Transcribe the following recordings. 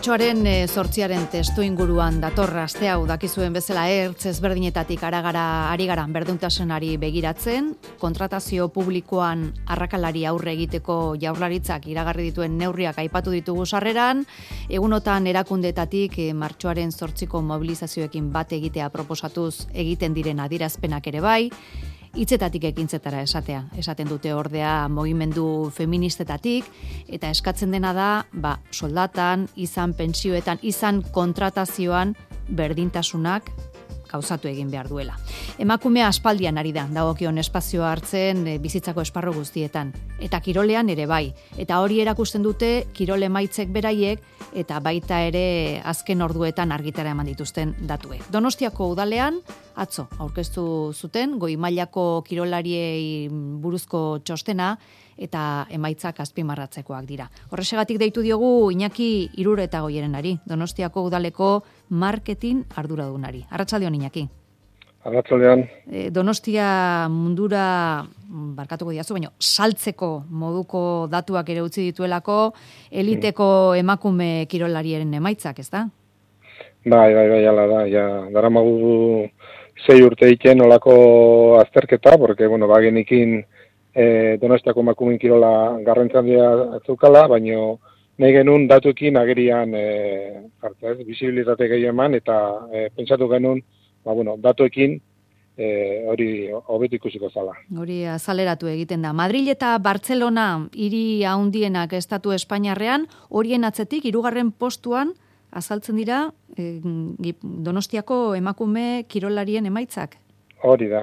Martxoaren 8 testu inguruan datorra aste hau dakizuen bezala ertz ezberdinetatik ari gara berdintasunari begiratzen, kontratazio publikoan arrakalari aurre egiteko Jaurlaritzak iragarri dituen neurriak aipatu ditugu sarreran, egunotan erakundeetatik martxoaren 8ko mobilizazioekin bat egitea proposatuz egiten diren adierazpenak ere bai, hitzetatik ekintzetara esaten dute ordea mugimendu feministetatik, eta eskatzen dena da, soldatan, izan pentsioetan, izan kontratazioan berdintasunak gauzatu egin behar duela. Emakumea aspaldian ari da, dagokion espazioa hartzen bizitzako esparru guztietan, eta kirolean ere bai, eta hori erakusten dute kirol emaitzek beraiek, eta baita ere azken orduetan argitara eman dituzten datuek. Donostiako udalean, atzo, aurkeztu zuten, goi mailako kirolariei buruzko txostena, eta emaitzak azpimarratzekoak dira. Horrexegatik deitu diogu Iñaki Iruretagoierenari, Donostiako udaleko marketing arduradunari. Arratsaldeon, Iñaki. Arratsaldeon. Donostia mundura, barkatuko diazu, baina saltzeko moduko datuak ere utzi dituelako, eliteko emakume kirolarien emaitzak, ez da? Bai, ala da, daramagu 6 urte egiten olako azterketa, porque, bagenikin Donostiako emakumeen kirola garrantzia zukala, baina nahi genuen datuekin agerian bisibilitate gehiago eman, eta pentsatu genuen, datuekin hori hobeto ikusiko zala. Hori azaleratu egiten da. Madrid eta Bartzelona hiri handienak estatu Espainiarrean, horien atzetik 3. postuan azaltzen dira Donostiako emakume kirolarien emaitzak. Hori da.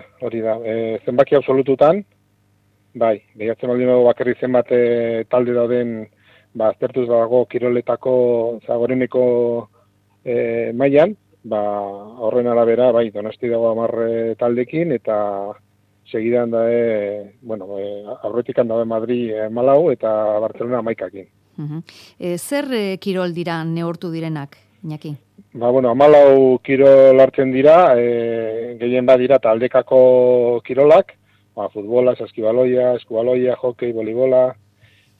Zenbaki absolututan, bai, behatzen baldin bakarri zenbat talde dauden aztertuz dago kiroletako zagoreneko mailan, horren arabera, bai, Donosti dago 10 taldekin, eta segidan da, aurretikan dago Madrid 14 eta Barcelona 11ekin. Zer kirol dira neurtu direnak, Iñaki? 14 kirol hartzen dira, gehien badira taldekako kirolak, futbola, saskibaloia, eskubaloia, hokei, voleibola,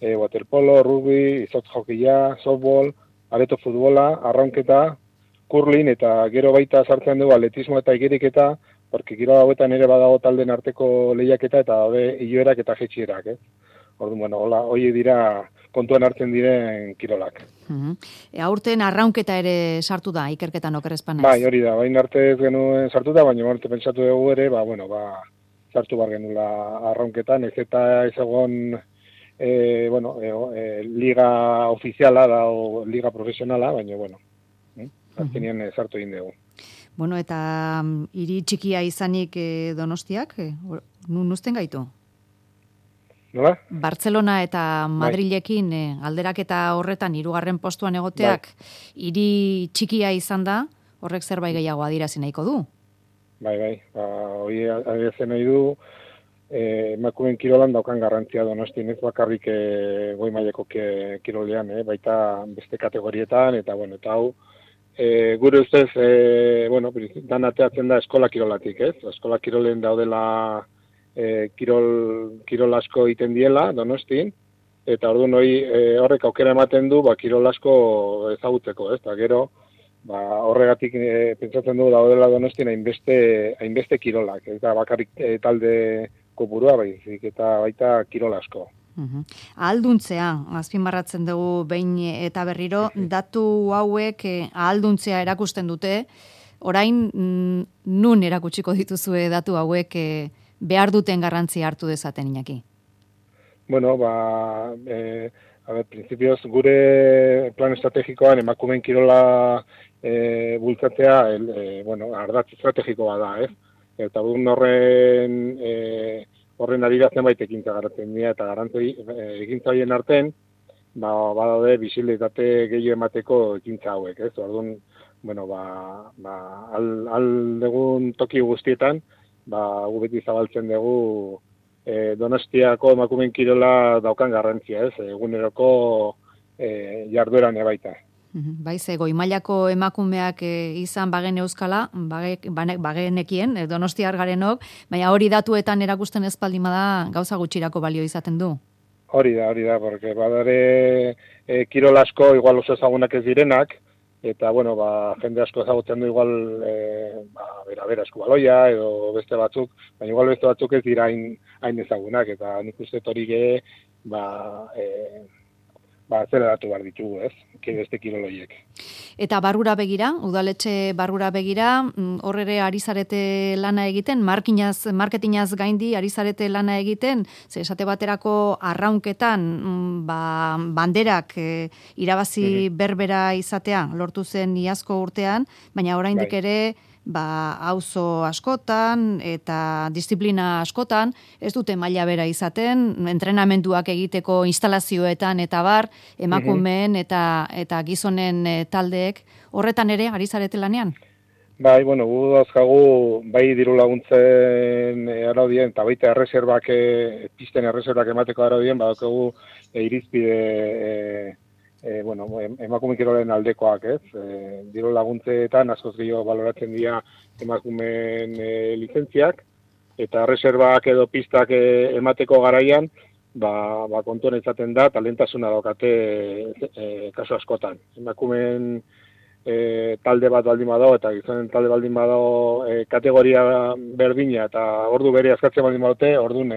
waterpolo, rugby, izotz hokeia, softball, areto futbola, arraunketa, curling, eta gero baita sartzen dugu atletismo eta igeriketa, porque kirola hauetan ere badago talden arteko lehiaketa eta daude iloerak eta jaitsierak, Orduan, hori dira kontuan hartzen diren kirolak. Aurten arraunketa ere sartu da, ikerketan okerrezpan naiz. Bai, hori da, bain arte ez genuen sartu da, baina pentsatu dugu ere, sartu bar genula arraunketan, ez eta ez egon liga ofiziala da o liga profesionala, baina azkenean sartu egin dugu. Eta hiri txikia izanik Donostiak, nuzten gaitu? Nola? Bartzelona eta Madrilekin alderaketa horretan 3. postuan egoteak hiri txikia izan da, horrek zerbait gehiago adierazi nahiko du? Bai, hori adierazi nahi du, emakumeen kirolan daukan garrantzia Donostin, ez bakarrik goi mailako kirolean, baita beste kategorietan, eta hau, gure ustez, dan ateatzen da eskola kirolatik, ez? Eskola kirolen daudela kirol asko egiten diela Donostin, eta orduan horrek aukera ematen du kirol asko ezagutzeko, ez? Eta gero, horregatik pentsatzen du daudela Donostin hainbeste kirolak, eta bakarrik talde kopurua baizik, eta baita kirol asko. Ahalduntzea, azpimarratzen dugu behin eta berriro, datu hauek ahalduntzea erakusten dute, orain nun erakutsiko dituzue datu hauek behar duten garrantzia hartu dezaten, Iñaki? Principioz, gure plan estrategikoan emakumeen kirola bultzatzea, ardatz estrategikoa da, ez? Eta horren arira zenbait ekintza garatzen dira, eta ekintzaien artean, badaude bisibilitate gehiago emateko ekintza hauek, ez? Orduan, aldegun toki guztietan, gu beti zabaltzen dugu Donostiako emakumeen kirola daukan garrantzia, ez? Eguneroko jardueran ebaita. Goi mailako emakumeak izan bagen euskala, bagenekien, Donostiar garenok, baina hori datuetan erakusten ez baldin bada gauza gutxirako balio izaten du. Hori da, porque badare kirol asko igual oso ezagunak ez direnak, eta, bueno, jende asko ezagutzen du igual, bera, eskubaloia edo beste batzuk, baina igual beste batzuk ez dira hain ezagunak, eta nik uste hori ge, azeleratu behar ditugu, ez? Beste kiroloiek. Eta barrura begira, udaletxe barrura begira, hor ere ari zarete lana egiten, marketingaz gaindi ari zarete lana egiten, ze esate baterako arraunketan, banderak irabazi berbera izatea, lortu zen iazko urtean, baina oraindik ere, auzo askotan eta disiplina askotan, ez dute maila bera izaten, entrenamenduak egiteko instalazioetan eta bar, emakumeen eta gizonen taldeek, horretan ere, ari zarete lanean? Bai, bueno, gu dauzkagu, bai diru laguntzen araudien, eta baita erreserbak, pisten erreserbak emateko araudien, badaukagu irizpide, emakume kirolen aldekoak, ez? Diru laguntzeetan askoz gehiago baloratzen dira emakumeen lizentziak, eta erreserbak edo pistak emateko garaian, kontuan izaten da, talentasuna daukate kasu askotan. Emakumeen talde bat baldin badago, eta gizonen talde baldin badago kategoria berdina, eta ordu bere askatzen baldin badute, orduan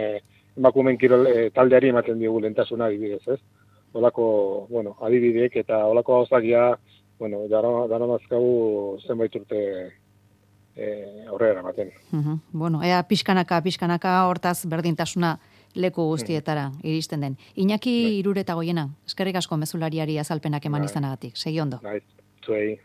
emakumeen kirol taldeari ematen digu lehentasuna adibidez, ez? Olako, adibideek eta olako gauzakia, daramazkagu zenbait urte aurrera ematen. Ea pixkanaka hortaz berdintasuna leku guztietara iristen den. Iñaki Iruretagoiena, eskerrik asko mezulariari azalpenak eman izanagatik. Segi ondo. Zuei,